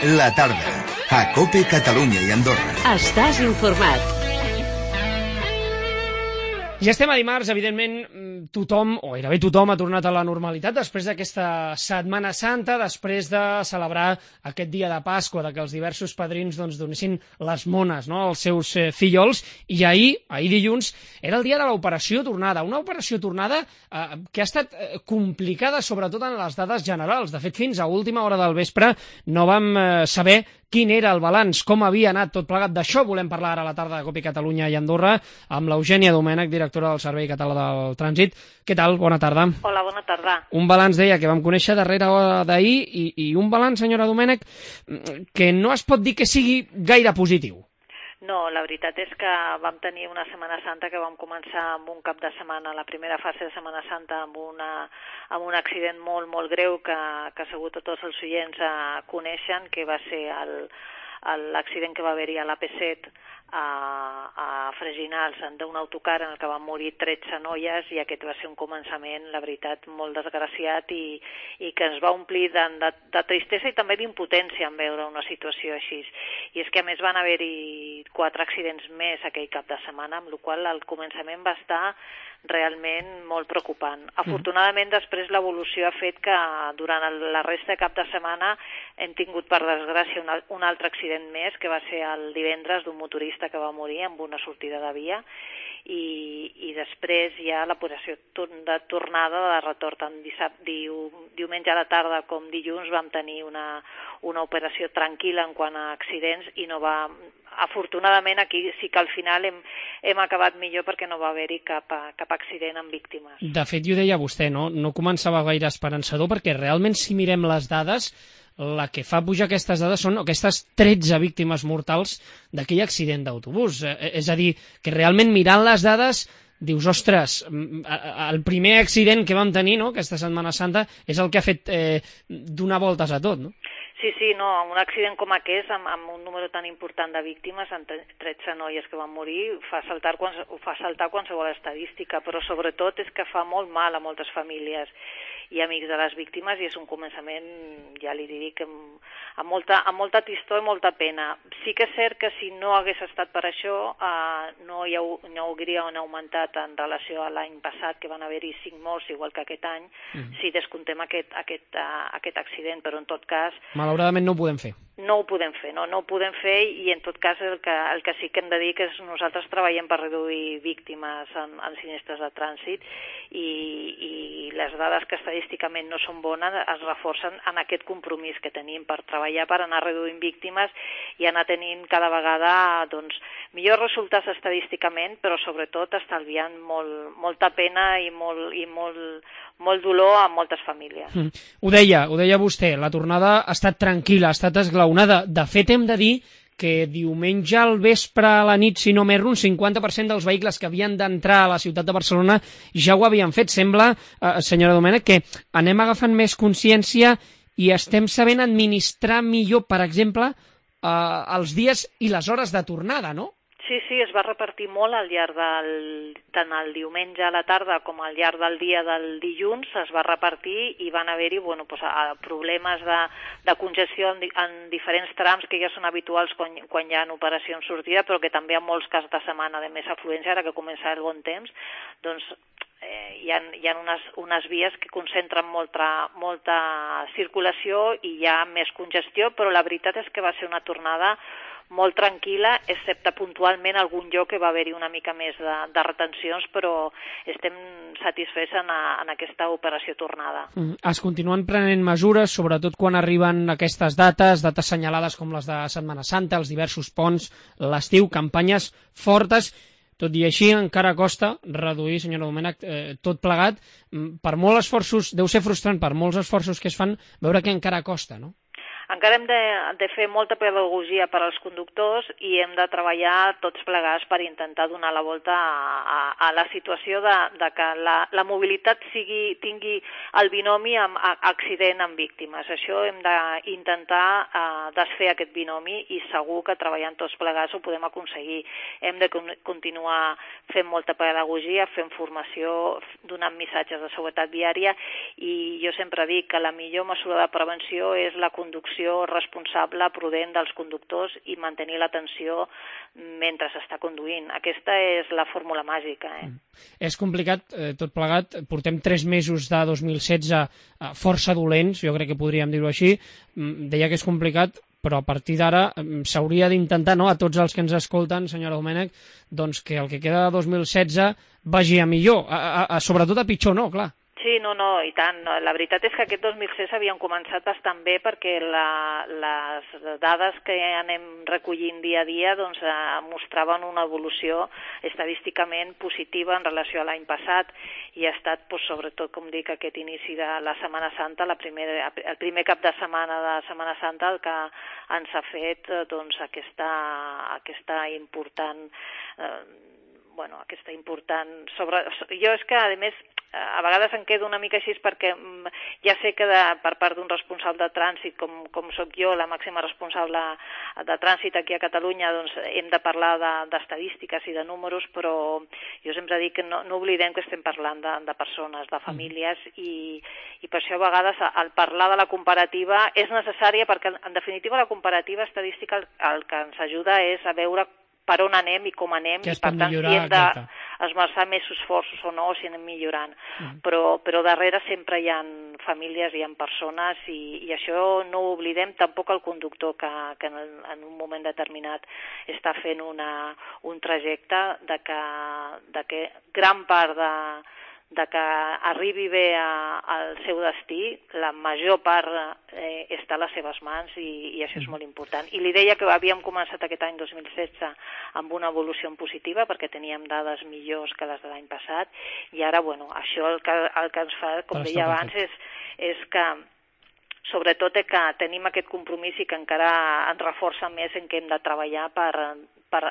La tarda, a COPE Catalunya i Andorra. Estàs informat. Ja estem a dimarts, evidentment, tothom, o gairebé tothom, ha tornat a la normalitat després d'aquesta Setmana Santa, després de celebrar aquest dia de Pasqua, que els diversos padrins donessin les mones, no?, als seus fillols, i ahir dilluns, era el dia de l'operació tornada, una operació tornada que ha estat complicada sobretot en les dades generals. De fet, fins a última hora del vespre no vam saber quin era el balanç, com havia anat tot plegat. D'això volem parlar ara a la tarda de COPE Catalunya i Andorra amb l'Eugènia Domènech, directora del Servei Català del Trànsit. Què tal? Bona tarda. Hola, bona tarda. Un balanç, deia, que vam conèixer darrere hora d'ahir i un balanç, senyora Domènech, que no es pot dir que sigui gaire positiu. No, la veritat és que vam tenir una Setmana Santa que vam començar amb un cap de setmana, la primera fase de Setmana Santa, amb un accident molt, molt greu que segur tots els oients coneixen, que va ser l'accident que va haver-hi a l'AP7 a Freginals d'un autocar en el que van morir 13 noies, i aquest va ser un començament, la veritat, molt desgraciat i que ens va omplir de tristesa i també d'impotència en veure una situació així. I és que a més van haver-hi 4 accidents més aquell cap de setmana, amb la qual cosa el començament va estar realment molt preocupant. Afortunadament, després l'evolució ha fet que durant la resta de cap de setmana hem tingut, per desgràcia, un altre accident més, que va ser el divendres, d'un motorista que va morir amb una sortida de via, i després ja l'operació de tornada, de retorn, tant diumenge a la tarda com dilluns vam tenir una operació tranquil·la en quant a accidents, i no va... Afortunadament aquí sí que al final hem acabat millor, perquè no va haver-hi cap accident amb víctimes. De fet, ho deia vostè, no començava gaire esperançador, perquè realment, si mirem les dades, la que fa pujar aquestes dades són aquestes 13 víctimes mortals d'aquell accident d'autobús. És a dir, que realment mirant les dades dius, ostres, el primer accident que vam tenir, no?, aquesta Setmana Santa, és el que ha fet donar voltes a tot, no? Sí, no, un accident com aquest, amb un número tan important de víctimes, amb 13 noies que van morir, fa saltar qualsevol estadística, però sobretot és que fa molt mal a moltes famílies i amics de les víctimes, i és un començament, ja li dic, amb molta tristor i molta pena. Sí que és cert que si no hagués estat per això, no haurien augmentat en relació a l'any passat, que van haver-hi 5 morts, igual que aquest any, si descomptem aquest accident, però en tot cas... Malauradament no ho podem fer. No ho podem fer, no ho podem fer, i en tot cas el que sí que hem de dir que nosaltres treballem per reduir víctimes en sinistres de trànsit, i les dades que estadísticament no són bones es reforcen en aquest compromís que tenim per treballar per anar reduint víctimes i anar tenint cada vegada millors resultats estadísticament, però sobretot estalviant molta pena i molt dolor a moltes famílies. Ho deia vostè, la tornada ha estat tranquil·la, ha estat esglaonada. De fet, hem de dir que diumenge al vespre a la nit, si no m'erro, un 50% dels vehicles que havien d'entrar a la ciutat de Barcelona ja ho havien fet. Sembla, senyora Domènech, que anem agafant més consciència i estem sabent administrar millor, per exemple, els dies i les hores de tornada, no? Sí, es va repartir molt al llarg tant el diumenge a la tarda com al llarg del dia del dilluns, es va repartir, i van haver-hi problemes de congestió en diferents trams que ja són habituals quan hi ha operacions sortida, però que també en molts casos de setmana de més afluència, ara que comença el bon temps, hi ha unes vies que concentren molta circulació i hi ha més congestió, però la veritat és que va ser una tornada molt tranquil·la, excepte puntualment algun lloc que va haver-hi una mica més de retencions, però estem satisfets en aquesta operació tornada. Es continuen prenent mesures, sobretot quan arriben aquestes dates assenyalades com les de Setmana Santa, els diversos ponts, l'estiu, campanyes fortes. Tot i així, encara costa reduir, senyora Domènech, tot plegat. Per molts esforços, deu ser frustrant per molts esforços que es fan, veure que encara costa, no? Encara hem de fer molta pedagogia per als conductors, i hem de treballar tots plegats per intentar donar la volta a la situació de que la mobilitat tingui el binomi amb accident amb víctimes. Això hem d'intentar desfer aquest binomi, i segur que treballant tots plegats ho podem aconseguir. Hem de continuar fent molta pedagogia, fent formació, donant missatges de seguretat viària, i jo sempre dic que la millor mesura de prevenció és la conducció conducció responsable, prudent dels conductors i mantenir l'atenció mentre s'està conduint. Aquesta és la fórmula màgica. És complicat, tot plegat. Portem 3 mesos de 2016 força dolents, jo crec que podríem dir-ho així. Deia que és complicat, però a partir d'ara s'hauria d'intentar, no?, a tots els que ens escolten, senyora Domènech, doncs que el que queda de 2016 vagi a millor, sobretot a pitjor no, clar. Sí, no, i tant. La veritat és que aquest 2016 havien començat bastant bé perquè les dades que anem recollint dia a dia doncs, mostraven una evolució estadísticament positiva en relació a l'any passat i ha estat, doncs, sobretot, com dic, aquest inici de la Setmana Santa, el primer cap de Setmana Santa, el que ens ha fet doncs, aquesta important jo és que, a més, a vegades em quedo una mica així perquè ja sé que per part d'un responsable de trànsit, com sóc jo, la màxima responsable de trànsit aquí a Catalunya, doncs hem de parlar d'estadístiques i de números, però jo sempre dic que no oblidem que estem parlant de persones, de famílies, i per això a vegades el parlar de la comparativa és necessària perquè, en definitiva, la comparativa estadística el que ens ajuda és a veure per on anem i com anem, i per tant si hem d'esmerçar més esforços o no, si anem millorant. Però darrere sempre hi ha famílies, hi ha persones, i això no ho oblidem, tampoc el conductor que en un moment determinat està fent un trajecte de que gran part de que arribi bé al seu destí, la major part està a les seves mans, i això és molt important. I li deia que havíem començat aquest any 2016 amb una evolució positiva perquè teníem dades millors que les de l'any passat, i ara, això el que ens fa, com deia abans, és que sobretot que tenim aquest compromís i que encara ens reforça més en què hem de treballar per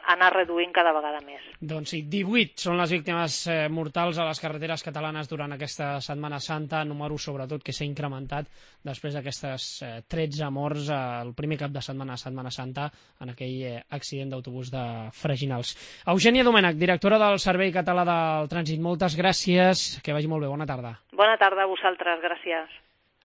anar reduint cada vegada més. Doncs sí, 18 són les víctimes mortals a les carreteres catalanes durant aquesta Setmana Santa, número sobretot que s'ha incrementat després d'aquestes 13 morts el primer cap de setmana, Setmana Santa, en aquell accident d'autobús de Freginals. Eugènia Domènech, directora del Servei Català del Trànsit, moltes gràcies, que vagi molt bé, bona tarda. Bona tarda a vosaltres, gràcies.